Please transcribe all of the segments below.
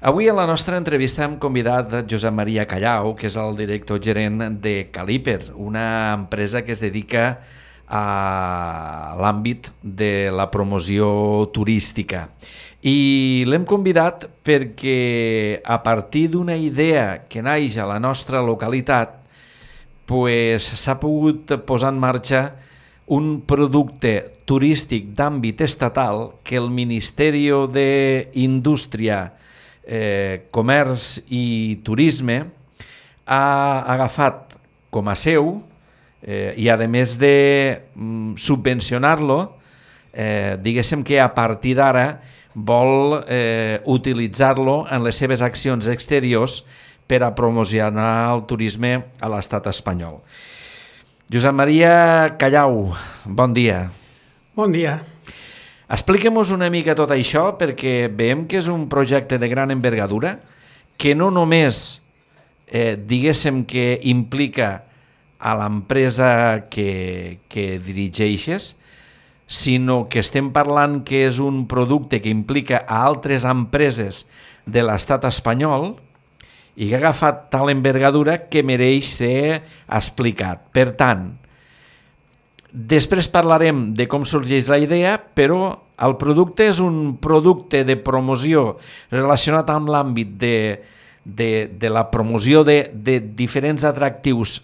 Avui a la nostra entrevista hem convidat Josep Maria Callau, que és el director gerent de Caliper, una empresa que es dedica a l'àmbit de la promoció turística. I l'hem convidat perquè a partir d'una idea que naix a la nostra localitat s'ha pogut posar en marxa un producte turístic d'àmbit estatal que el Ministeri d'Indústria, Comerç i Turisme ha agafat com a seu i a més de subvencionar-lo, diguéssim que a partir d'ara vol utilitzar-lo en les seves accions exteriors per a promocionar el turisme a l'estat espanyol. Josep Maria Callau, bon dia. Bon dia. Expliquem-nos una mica tot això, perquè veiem que és un projecte de gran envergadura, que no només, diguéssim que implica a l'empresa que dirigeixes, sinó que estem parlant que és un producte que implica a altres empreses de l'estat espanyol i que ha agafat tal envergadura que mereix ser explicat. Per tant, després parlarem de com sorgeix la idea, però el producte és un producte de promoció relacionat amb l'àmbit de la promoció de diferents atractius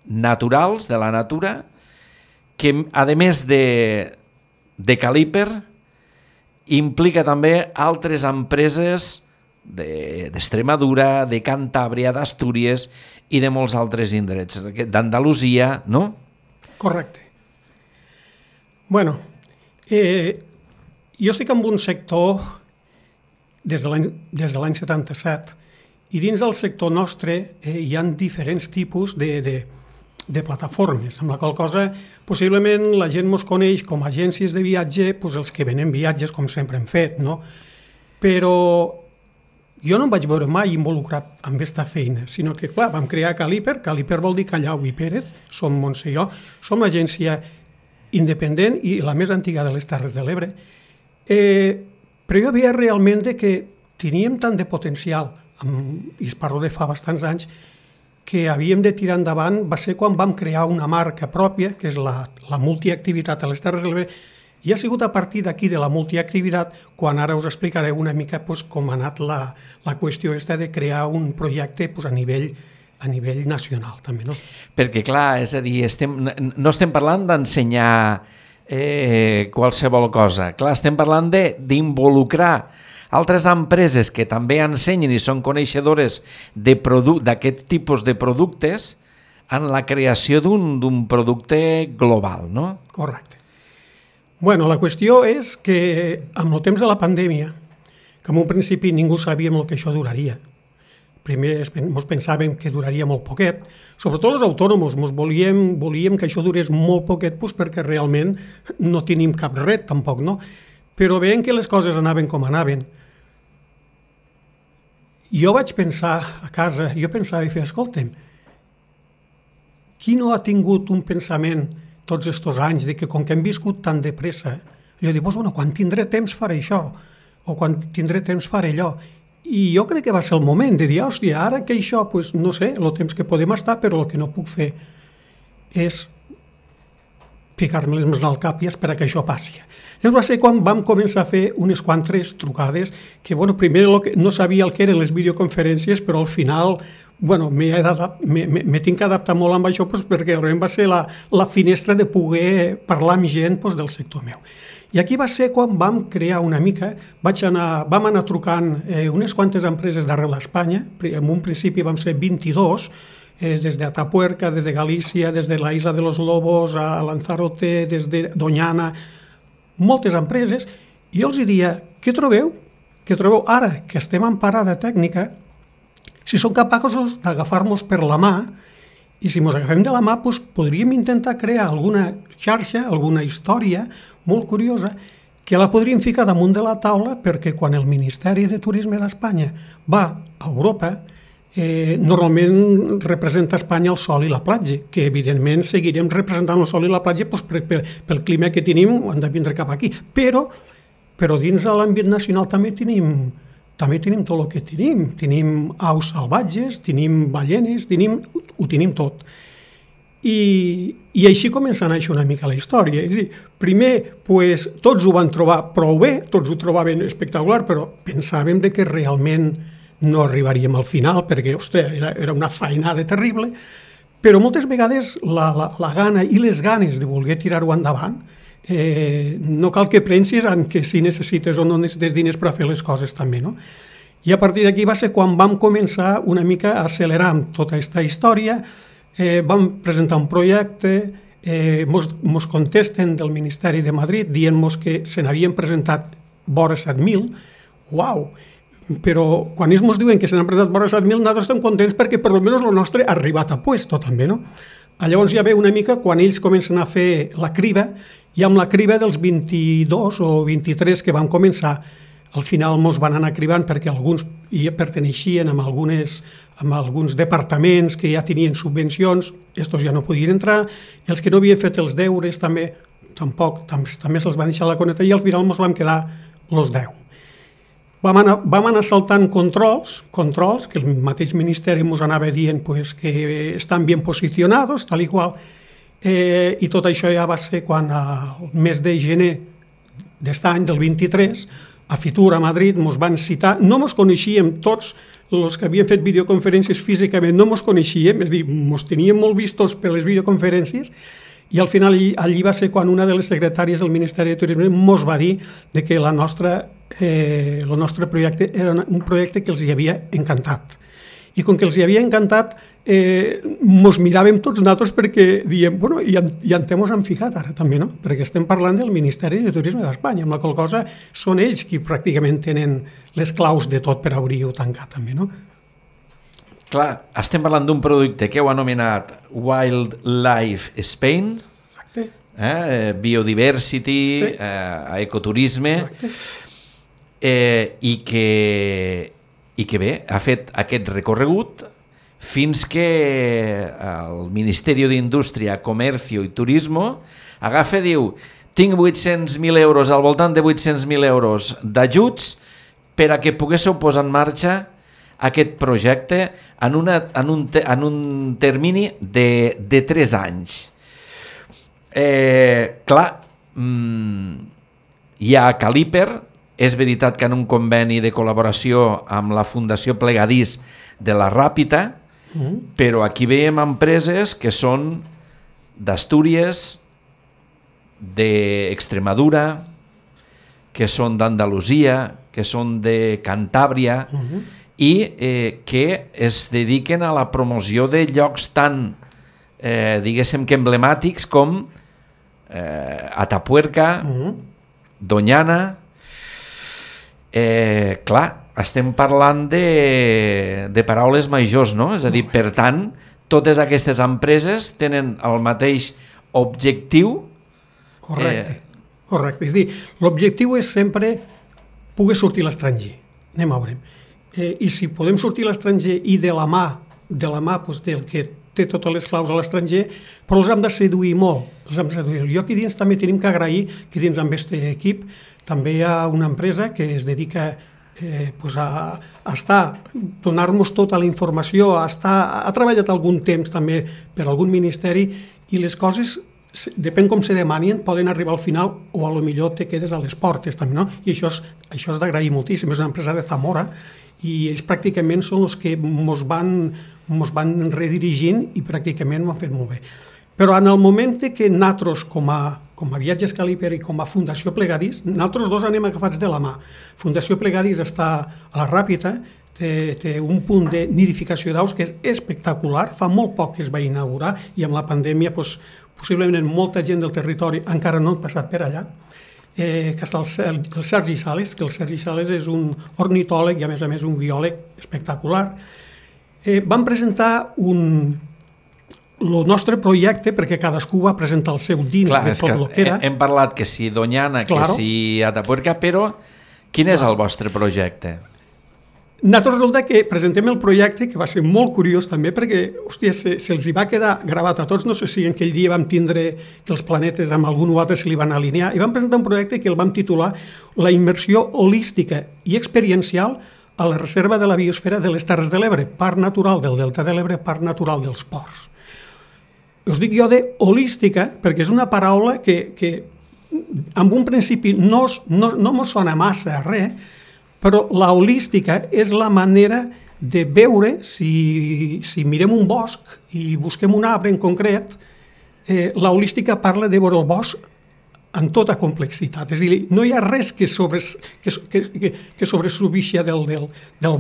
naturals, de la natura, que a més de Caliper implica també altres empreses d'Extremadura, de Cantàbria, d'Astúries i de molts altres indrets, d'Andalusia, no? Correcte. Bueno, jo estic en un sector des de l'any 77 i dins del sector nostre hi ha diferents tipus de plataformes, amb la qual cosa possiblement la gent ens coneix com a agències de viatge, els que venen viatges com sempre hem fet, no? Però jo no em vaig veure mai involucrat amb aquesta feina, sinó que, clar, vam crear Caliper, Caliper vol dir Callau i Pérez, som Montse i jo, som l'agència independent i la més antiga de les Terres de l'Ebre, però jo veia realment que teníem tant de potencial, i es parlo de fa bastants anys, que havíem de tirar endavant. Va ser quan vam crear una marca pròpia, que és la multiactivitat a les Terres de l'Ebre, i ha sigut a partir d'aquí de la multiactivitat quan ara us explicaré una mica com ha anat la qüestió de crear un projecte a nivell nacional també, no? Perquè clar, és a dir, no estem parlant d'ensenyar qualsevol cosa, clar, estem parlant d'involucrar altres empreses que també ensenyen i són coneixedores d'aquest tipus de productes en la creació d'un producte global, no? Correcte. Bueno, la qüestió és que amb el temps de la pandèmia, que en un principi ningú sabíem el que això duraria, primer ens pensàvem que duraria molt poquet, sobretot els autònoms, volíem que això durés molt poquet perquè realment no tenim cap ret tampoc, no? Però veient que les coses anaven com anaven, jo vaig pensar a casa, i feia, escolta'm, qui no ha tingut un pensament tots aquests anys de que com que hem viscut tan de pressa, jo dic, bueno, quan tindré temps faré això, o quan tindré temps faré allò. I jo crec que va ser el moment de dir, hòstia, ara que això, no sé, el temps que podem estar, però el que no puc fer és ficar-me les mans al cap i esperar que això passi. Llavors va ser quan vam començar a fer unes quantes trucades que, primer no sabia el que eren les videoconferències, però al final, m'he tinc que adaptar molt amb això perquè realment va ser la finestra de poder parlar amb gent del sector meu. I aquí va ser quan vam crear una mica, vam anar trucant unes quantes empreses d'arreu d'Espanya, en un principi vam ser 22, des de Atapuerca, des de Galícia, des de la Isla de los Lobos, a Lanzarote, des de Doñana, moltes empreses, i jo els diria, què trobeu? Què trobeu ara que estem en parada tècnica, si som capaços d'agafar-nos per la mà, i si ens agafem de la mà, podríem intentar crear alguna xarxa, alguna història molt curiosa, que la podríem ficar damunt de la taula perquè quan el Ministeri de Turisme d'Espanya va a Europa, normalment representa Espanya el sol i la platja, que evidentment seguirem representant el sol i la platja pel clima que tenim, han de vindre cap aquí, però dins de l'àmbit nacional també tenim també tenim tot el que tenim. Tenim aus salvatges, tenim ballenes, ho tenim tot. I així comença a néixer una mica la història. És a dir, primer, tots ho van trobar prou bé, tots ho trobaven espectacular, però pensàvem que realment no arribaríem al final, perquè, ostres, era una feinada terrible, però moltes vegades la gana i les ganes de voler tirar-ho endavant no cal que pensis en que si necessites o no necessites diners per a fer les coses també, no? I a partir d'aquí va ser quan vam començar una mica a accelerar amb tota aquesta història. Vam presentar un projecte, mos contesten del Ministeri de Madrid dient-nos que se n'havien presentat vora 7.000. Uau! Però quan ells ens diuen que se n'han presentat vora 7.000, nosaltres estem contents perquè per almenys el nostre ha arribat a puesto també, no? Llavors ja ve una mica quan ells comencen a fer la criba, i amb la criba dels 22 o 23 que vam començar, al final ens van anar cribant perquè alguns ja perteneixien a alguns departaments que ja tenien subvencions, estos ja no podien entrar, i els que no havien fet els deures també se'ls van deixar la coneta, i al final ens vam quedar els 10. Vam anar saltant controls que el mateix Ministeri ens anava dient que estan ben posicionats, tal i qual, i tot això ja va ser quan al mes de gener d'aquest any, del 23, a Fitur, a Madrid, ens van citar, no ens coneixíem tots, els que havien fet videoconferències físicament no ens coneixíem, és a dir, ens teníem molt vistos per les videoconferències, i al final allí va ser quan una de les secretàries del Ministeri de Turisme ens va dir que el nostre projecte era un projecte que els hi havia encantat. I com que els hi havia encantat, ens miràvem tots nosaltres perquè diem, bueno, i en temps hem ficat ara també, no? Perquè estem parlant del Ministeri de Turisme d'Espanya, amb la qual cosa són ells qui pràcticament tenen les claus de tot per obrir o tancar també, no? Clar, estem parlant d'un producte que heu anomenat Wildlife Spain, exacte. Biodiversity, ecoturisme, i que bé, ha fet aquest recorregut fins que el Ministeri d'Indústria, Comercio i Turismo agafa i diu: tinc 800.000 euros, al voltant de 800.000 euros d'ajuts per a que poguéssiu posar en marxa aquest projecte en un termini de 3 anys. Clar, hi ha Caliper, és veritat que en un conveni de col·laboració amb la Fundació Plegadís de la Ràpita, però aquí veiem empreses que són d'Astúries, d'Extremadura, que són d'Andalusia, que són de Cantàbria, i que es dediquen a la promoció de llocs tan, diguéssim que emblemàtics com Atapuerca, Doñana. Clar, estem parlant de paraules majors, no? És a dir, per tant, totes aquestes empreses tenen el mateix objectiu. Correcte. És a dir, l'objectiu és sempre poder sortir a l'estranger. Anem a veure. I si podem sortir a l'estranger i de la mà del que té totes les claus a l'estranger, però els hem de seduir molt. Jo aquí dins també tenim que agrair que dins amb aquest equip també hi ha una empresa que es dedica a donar-nos tota la informació, ha treballat algun temps també per algun ministeri, i les coses, depèn com se demanin, poden arribar al final o a lo millor te quedes a les portes també, no? I això és d'agrair moltíssim. És una empresa de Zamora i ells pràcticament són els que ens van redirigint i pràcticament ho han fet molt bé. Però en el moment que nosaltres, com a Viatges Caliper i com a Fundació Plegadís, nosaltres dos anem agafats de la mà. Fundació Plegadís està a la Ràpita, té un punt de nidificació d'aus que és espectacular, fa molt poc que es va inaugurar i amb la pandèmia possiblement molta gent del territori encara no ha passat per allà, que està el Sergi Sales, que el Sergi Sales és un ornitòleg i a més un biòleg espectacular. Vam presentar el nostre projecte, perquè cadascú va presentar el seu dins de tot el que era. Hem parlat que si Doñana, que si Atapuerca, però quin és el vostre projecte? Nosaltres resulta que presentem el projecte, que va ser molt curiós també, perquè se'ls hi va quedar gravat a tots, no sé si en aquell dia vam tindre que els planetes amb algun o altre se li van alinear, i vam presentar un projecte que el vam titular La immersió holística i experiencial a la reserva de la biosfera de les Terres de l'Ebre, parc natural del Delta de l'Ebre, parc natural dels ports. Us dic jo de holística, perquè és una paraula que en un principi no mos sona massa a res, però la holística és la manera de veure, si mirem un bosc i busquem un arbre en concret, la holística parla de veure el bosc en tota complexitat. És a dir, no hi ha res que sobresubixia del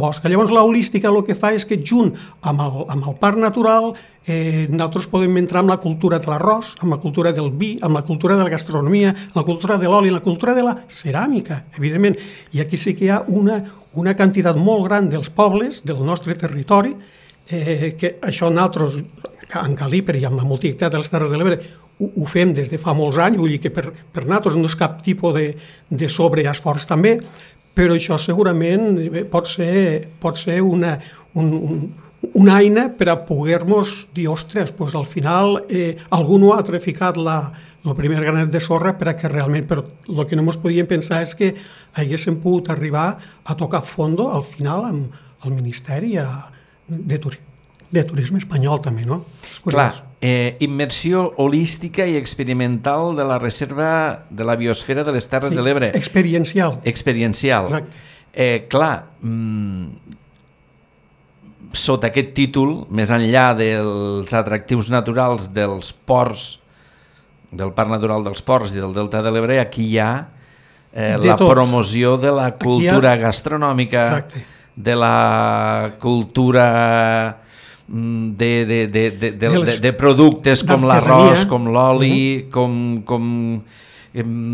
bosc. Llavors, la holística el que fa és que, junt amb el parc natural, nosaltres podem entrar en la cultura de l'arròs, amb la cultura del vi, amb la cultura de la gastronomia, amb la cultura de l'oli, amb la cultura de la ceràmica, evidentment. I aquí sí que hi ha una quantitat molt gran dels pobles del nostre territori, que això nosaltres, en Calíper i amb la multiplicat de les Terres de l'Ebre, ho fem des de fa molts anys, vull dir que per nosaltres no és cap tipus de sobreesforç també, però això segurament pot ser una eina per a poder-nos dir, ostres, doncs al final algú no ha traficat el primer granet de sorra per a que realment, però el que no ens podíem pensar és que haguéssim pogut arribar a tocar fondo al final amb el Ministeri de Turisme espanyol també, no? És curiós. Clar, immersió holística i experimental de la reserva de la biosfera de les Terres de l'Ebre. Experiencial. Experiencial. Exacte. Clar, sota aquest títol, més enllà dels atractius naturals dels ports, del Parc Natural dels Ports i del Delta de l'Ebre, aquí hi ha la promoció de la cultura gastronòmica, exacte, de la cultura de productes com l'arròs, com l'oli, com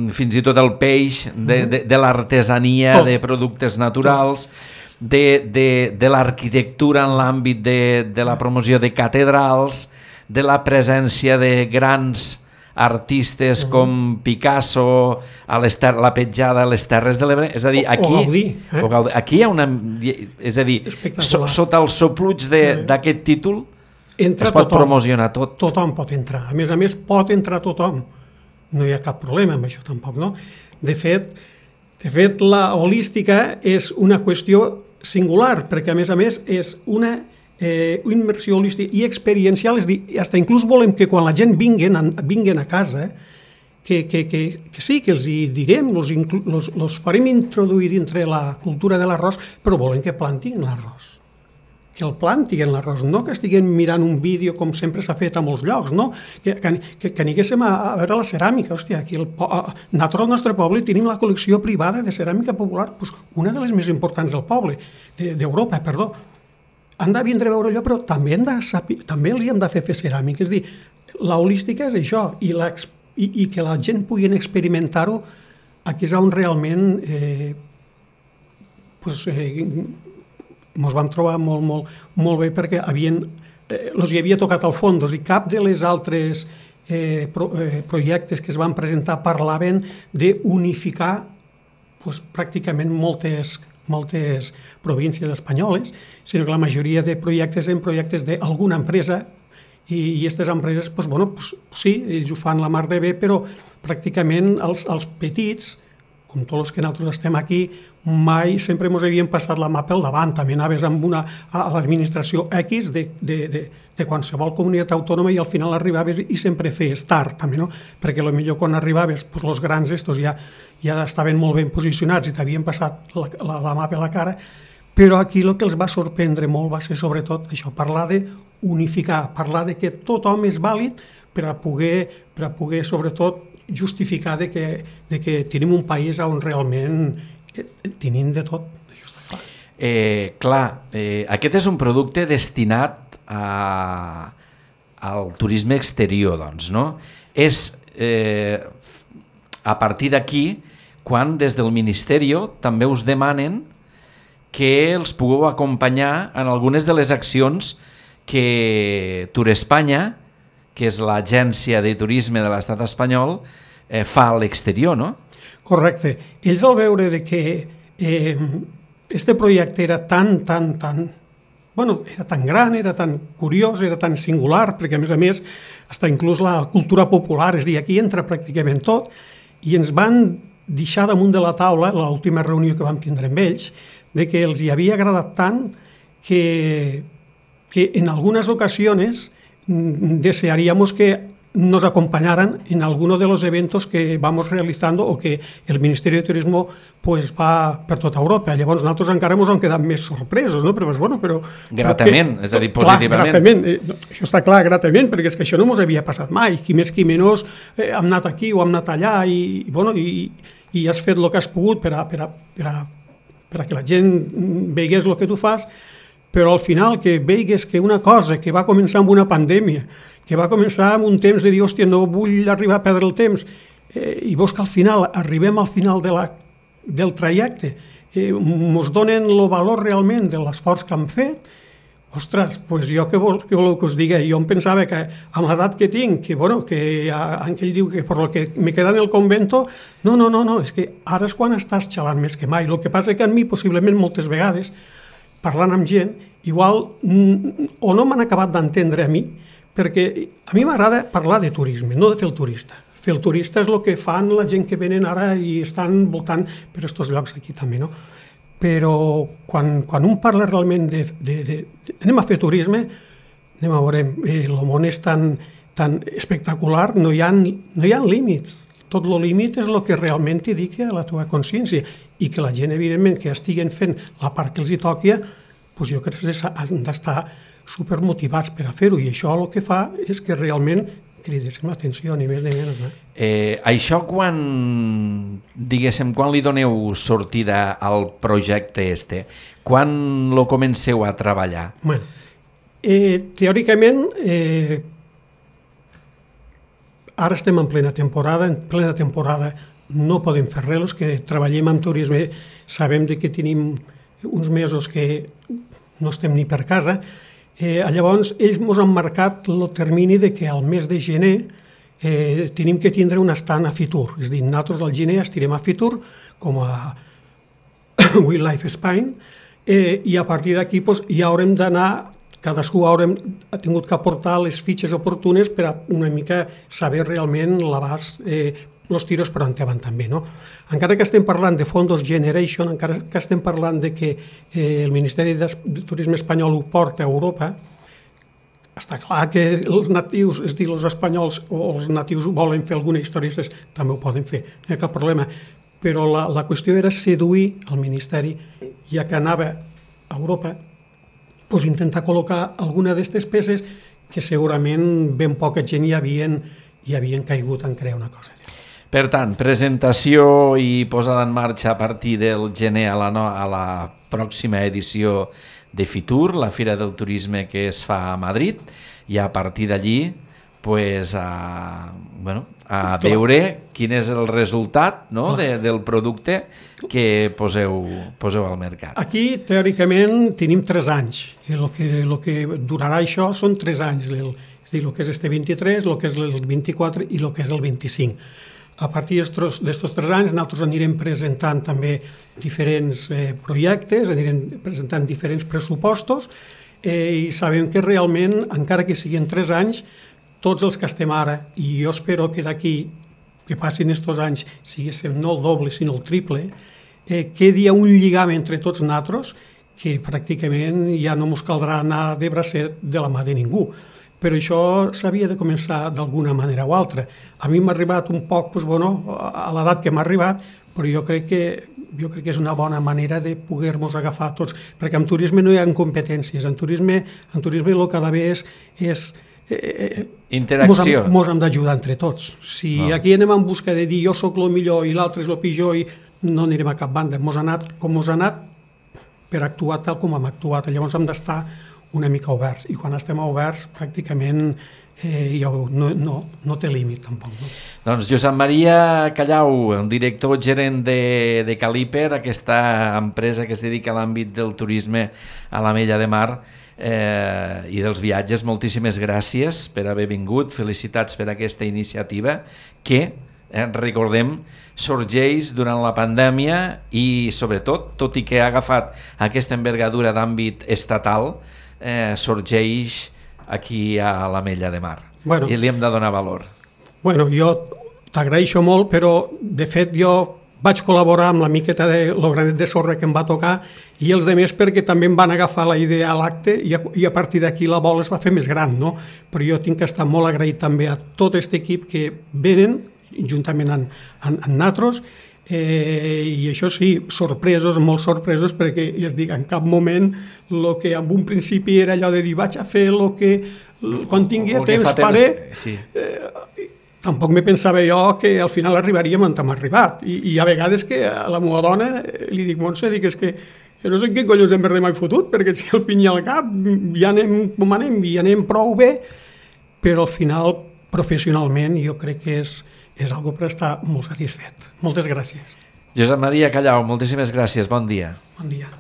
fins i tot el peix, de l'artesania, de productes naturals, de l'arquitectura en l'àmbit de la promoció de catedrals, de la presència de grans artistes com Picasso, la petjada a les Terres de l'Ebre, és a dir, aquí hi ha una... És a dir, sota els sopluig d'aquest títol es pot promocionar tot. Tothom pot entrar. A més, pot entrar tothom. No hi ha cap problema amb això tampoc, no? De fet, la holística és una qüestió singular, perquè a més és una immersió holística i experiencial, és a dir, fins inclús volem que quan la gent vinguen a casa, que sí, que els hi direm, els farem introduir dintre la cultura de l'arròs, però volem que plantin l'arròs, que el plantin l'arròs, no que estiguem mirant un vídeo com sempre s'ha fet a molts llocs, no? Que aniguéssim a veure la ceràmica. Hòstia, aquí nosaltres al nostre poble tenim la col·lecció privada de ceràmica popular, una de les més importants del poble, d'Europa, perdó. Han de vindre a veure allò, però també els hi hem de fer ceràmica. És a dir, la holística és això, i que la gent pugui experimentar-ho, aquí és on realment ens vam trobar molt bé, perquè els hi havia tocat al fons, i cap de les altres projectes que es van presentar parlaven d'unificar pràcticament moltes províncies espanyoles, sinó que la majoria de projectes eren projectes d'alguna empresa, i aquestes empreses, sí, ells ho fan la mar de bé, però pràcticament els petits, com tots els que nosaltres estem aquí, mai sempre ens havien passat la mà pel davant. També anaves a l'administració X de qualsevol comunitat autònoma i al final arribaves i sempre feies tard, també, no? Perquè potser quan arribaves, els grans estos ja estaven molt ben posicionats i t'havien passat la mà per la cara, però aquí el que els va sorprendre molt va ser sobretot això, parlar d'unificar, parlar de que tothom és vàlid per a poder sobretot justificar de que tenim un país on realment tenim de tot. Això està clar. Clar, aquest és un producte destinat al turisme exterior, doncs, no? És a partir d'aquí quan des del Ministeri també us demanen que els pugueu acompanyar en algunes de les accions que Turespanya, que és l'agència de turisme de l'estat espanyol, fa a l'exterior, no? Correcte. Ells al veure que este projecte era tan gran, era tan curiós, era tan singular, perquè a més, fins inclús la cultura popular, és a dir, aquí entra pràcticament tot, i ens van deixar damunt de la taula, l'última reunió que vam tindre amb ells, de que els hi havia agradat tant que en algunas ocasiones desearíamos que nos acompañaran en alguno de los eventos que vamos realizando o que el Ministerio de Turismo pues, va per tota Europa. Llavors nosaltres encara ens hem quedat més sorpresos, no? Però, bueno, però, gratament, és a dir, positivament. Clar, gratament, això està clar, gratament, perquè és que això no ens havia passat mai. Qui més qui menys hem anat aquí o hem anat allà i has fet el que has pogut per a que la gent veigués el que tu fas, però al final que veigues que una cosa que va començar amb una pandèmia, que va començar amb un temps de dir, hòstia, no vull arribar a perdre el temps, i veus que al final, arribem al final del trajecte, ens donen el valor realment de l'esforç que han fet, ostres, doncs jo què voleu que us digui? Jo em pensava que amb l'edat que tinc, que Ángel diu que per lo que me queda en el convento, no, és que ara és quan estàs xalant més que mai. El que passa que a mi, possiblement, moltes vegades, parlant amb gent, igual o no m'han acabat d'entendre a mi, perquè a mi m'agrada parlar de turisme, no de fer el turista. Fer el turista és el que fan la gent que venen ara i estan voltant per aquests llocs aquí també, no? Però quan un parla realment anem a fer turisme, anem a veure, el món és tan espectacular, no hi ha límits. Tot el límit és el que realment t'indica la teva consciència i que la gent, evidentment, que estiguen fent la part que els hi toqui, doncs jo crec que han d'estar supermotivats per a fer-ho, i això el que fa és que realment cridéssim l'atenció, ni més ni menys. Això quan li doneu sortida al projecte este? Quan lo comenceu a treballar? Bueno, teòricament, ara estem en plena temporada no podem fer res, els que treballem en turisme sabem que tenim uns mesos que no estem ni per casa. Llavors, ells ens han marcat el termini de que al mes de gener tenim que tindre un estand a Fitur. És a dir, nosaltres al gener estirem a Fitur com a Wildlife Spain i a partir d'aquí ja haurem d'anar, cadascú ha tingut que aportar les fitxes oportunes per a una mica saber realment l'abast, els tiros per on van també, no? Encara que estem parlant de Fondos Generation, encara que estem parlant de que el Ministeri de Turisme espanyol ho porta a Europa, està clar que els natius, és a dir, els espanyols o els natius volen fer alguna història, també ho poden fer, no hi ha cap problema. Però la qüestió era seduir el Ministeri, ja que anava a Europa, doncs intentar col·locar alguna d'aquestes peces que segurament ben poca gent hi havien caigut en crear una cosa. Per tant, presentació i posada en marxa a partir del gener a la pròxima edició de Fitur, la Fira del Turisme que es fa a Madrid, i a partir d'allí a veure quin és el resultat, no, del producte que poseu al mercat. Aquí, teòricament, tenim 3 anys. El que durarà això són 3 anys. És a dir, el que és este 23, el que és el 24 i el que és el 25. A partir d'estos 3 anys nosaltres anirem presentant també diferents projectes, anirem presentant diferents pressupostos i sabem que realment, encara que siguin 3 anys, tots els que estem ara, i jo espero que d'aquí que passin estos anys siguéssim no el doble sinó el triple, quedi un lligam entre tots nosaltres que pràcticament ja no ens caldrà anar de bracet de la mà de ningú. Però això s'havia de començar d'alguna manera o altra. A mi m'ha arribat un poc, a l'edat que m'ha arribat, però jo crec que és una bona manera de poder-nos agafar tots, perquè en turisme no hi ha competències, en turisme el que ha d'haver és interacció. Mos hem d'ajudar entre tots. Si aquí anem en busca de dir jo sóc el millor i l'altre és el pitjor, i no anirem a cap banda. Mos ha anat com mos ha anat per actuar tal com hem actuat. Llavors hem d'estar una mica oberts, i quan estem oberts pràcticament no té límit tampoc. No? Doncs Josep Maria Callau, el director gerent de Caliper, aquesta empresa que es dedica a l'àmbit del turisme a l'Ametlla de Mar i dels viatges, moltíssimes gràcies per haver vingut, felicitats per aquesta iniciativa que, recordem, sorgeix durant la pandèmia i sobretot, tot i que ha agafat aquesta envergadura d'àmbit estatal, sorgeix aquí a l'Ametlla de Mar i li hem de donar valor. Jo t'agraeixo molt, però de fet jo vaig col·laborar amb la miqueta de lo granet de sorra que em va tocar i els demés perquè també em van agafar la idea a l'acte i a partir d'aquí la bola es va fer més gran, no? Però jo tinc que estar molt agraït també a tot aquest equip que venen juntament amb nosaltres i això sí, sorpresos, molt sorpresos, perquè ja es dic, en cap moment el que en un principi era allò de dir vaig a fer el que quan tingui temps faré, tampoc me pensava jo que al final arribaríem on hem arribat i a vegades que a la meva dona li dic, Montse, dic, és que jo no sé en quin collons hem mai fotut, perquè si al fin i al cap ja anem com anem i anem prou bé, però al final professionalment jo crec que és algo per estar molt satisfet. Moltes gràcies. Josep Maria Callau, moltíssimes gràcies, bon dia. Bon dia.